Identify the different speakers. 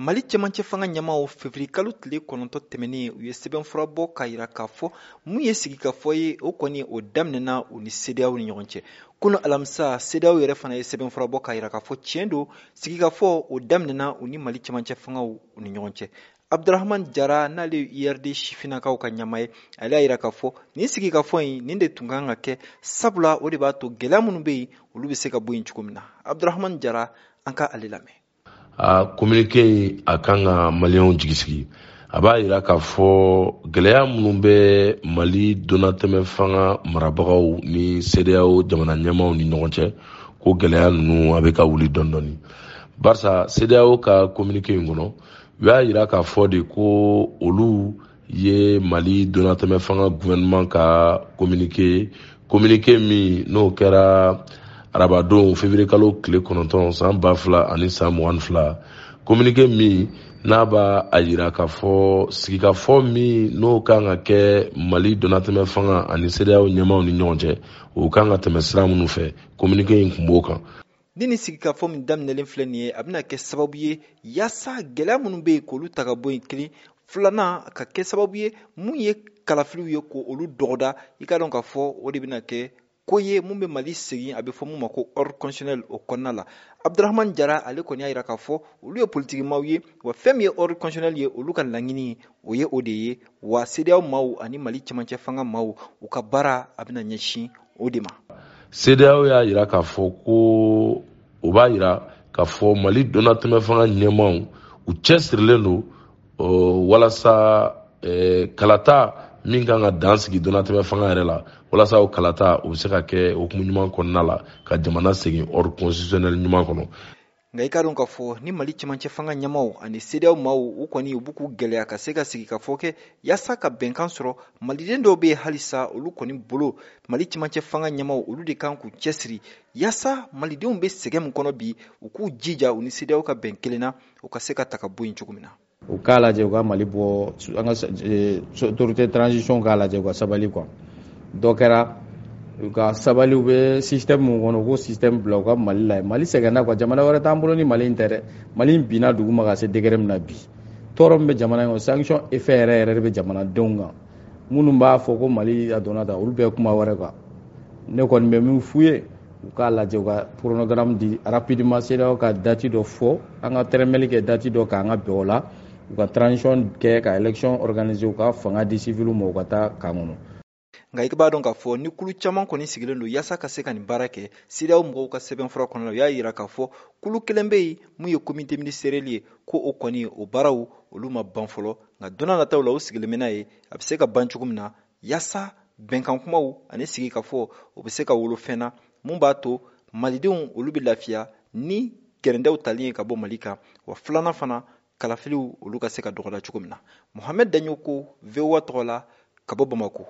Speaker 1: Mali cɛmancɛ fanga ɲɛmaaw feburuyekalo tile 9 tɛmɛnen, u ye sɛbɛnfura bɔ k'a jira k'a fɔ mun ye sigikafɔ ye, o kɔni o daminɛna u ni CEDEAO ni ɲɔgɔn cɛ. Kunu alamisa, CEDEAO yɛrɛ fana ye sɛbɛnfura bɔ k'a jira k'a fɔ tiɲɛ don, sigikafɔ o daminɛna u ni Mali cɛmancɛ fangaw ni ɲɔgɔn cɛ. Abdurahman Jara, n'ale ye URD sifinnakaw ka ɲɛmaa ye, ale y'a jira k'a fɔ nin sigikafɔ in nin de tun kan ka kɛ, sabula o de b'a to gɛlɛya minnu bɛ yen, olu bɛ se ka bɔ yen cogo min na. Abdurahman Jara, an ka ale lamɛn.
Speaker 2: A communiqué in, a kan ka maliyɛnw jigi sigi. A b'a yira k'a fɔ gɛlɛya minnu bɛ Mali donnatɛmɛ fanga marabagaw ni CEDEAO jamana ɲɛmaaw ni ɲɔgɔn cɛ, ko gɛlɛya ninnu a bɛ ka wuli dɔɔni dɔɔni, barisa CEDEAO ka communiqué in kɔnɔ, u y'a yira k'a fɔ de ko olu ye Mali donnatɛmɛ fanga gouvernement ka communiqué min n'o kɛra arabadon février kalo tile 9 san 2022, communiqué min n'a b'a a yira k'a fɔ sigikafɔ min n'o kan ka kɛ Mali donnatɛmɛ fanga ani CEDEAO ɲɛmaaw ni ɲɔgɔn cɛ, o kan ka tɛmɛ sira minnu fɛ, communiqué in kun b'o kan.
Speaker 1: Ni nin sigikafɔ min daminɛlen filɛ nin ye, a bɛna kɛ sababu ye yaasa gɛlɛya minnu bɛ yen, k'olu ta ka bɔ yen kelen, filanan ka kɛ sababu ye mun ye kalafiliw ye, k'olu dɔgɔda. I ka dɔn k'a fɔ o de bɛna kɛ ko ye mun bɛ Mali segin, a bɛ fɔ mun ma ko ordre constitutionnel o kɔnɔna la. Abdurahman Jara, ale kɔni y'a jira k'a fɔ olu ye politikimaw ye, wa fɛn min ye ordre constitutionnel ye, olu ka laɲini o ye o de ye, wa CEDEAO maaw ani Mali cɛmancɛ fanga maaw, u ka baara a bɛna ɲɛsin o de ma.
Speaker 2: CEDEAO y'a jira k'a fɔ ko o b'a jira k'a fɔ Mali donnatɛmɛ fanga ɲɛmaaw, u cɛsirilen don walasa kalata min kan ka dan sigi donnatɛmɛ fanga yɛrɛ la, walasa o kalata o bɛ se ka kɛ hukumu ɲuman kɔnɔna la, ka jamana segin ordre constitutionnel ɲuman kɔnɔ.
Speaker 1: Nka i ka dɔn k'a fɔ ni Mali cɛmancɛ fanga ɲɛmaaw ani CEDEAO maaw, u kɔni u b'u k'u gɛlɛya ka se ka sigi ka fɔ kɛ yaasa ka bɛnkan sɔrɔ, maliden dɔw bɛ yen halisa, olu kɔni bolo Mali cɛmancɛ fanga ɲɛmaaw, olu de kan k'u cɛsiri yaasa malidenw bɛ sɛgɛn min kɔnɔ bi, u k'u jija u ni CEDEAO ka bɛn kelen na, u ka se ka ta ka bɔ yen cogo min na.
Speaker 3: U k'a lajɛ u ka Mali bɔ, an ka autorité transition k'a lajɛ u ka sabali quoi. Dɔ kɛra, u ka sabali, u bɛ système mun kɔnɔ, u k'o système bila, u ka Mali lajɛ. Mali sɛgɛnna quoi, jamana wɛrɛ t'an bolo ni Mali in tɛ dɛ. Mali in binna dugu ma ka se degré min na bi, tɔɔrɔ min bɛ jamana in kɔnɔ, sanction effet yɛrɛ yɛrɛ de bɛ jamanadenw kan. Minnu b'a fɔ ko Mali a donna tan, olu bɛɛ kuma wɛrɛ quoi. Ne kɔni bɛ min f'u ye, u k'a lajɛ u ka chronogramme di rapidement, CEDEAO ka date dɔ fɔ, an ka tɛrɛmɛli kɛ date dɔ k'an ka bɛn o la, u ka transition kɛ, ka élection organiser, u ka fanga di civil ma, u ka taa camp kɔnɔ.
Speaker 1: Nka i b'a dɔn k'a fɔ ni kulu caman kɔni sigilen don yaasa ka se ka nin baara kɛ, CEDEAO mɔgɔw ka sɛbɛnfura kɔnɔna la, u y'a jira k'a fɔ kulu kelen bɛ yen mun ye comité ministériel ye, ko o kɔni o baaraw olu ma ban fɔlɔ, nka don n'a nataw la u sigilen bɛ n'a ye a bɛ se ka ban cogo min na, yaasa bɛnkan kumaw ani sigikafɔ o bɛ se ka wolo fɛn na mun b'a to malidenw olu bɛ lafiya ni gɛrɛndɛw tali ye ka bɔ Mali kan, wa filanan fana, kalafiliw olu ka se ka dɔgɔda cogo min na. Mohamed Daɲoko, VOA tɔgɔ la, ka bɔ Bamako.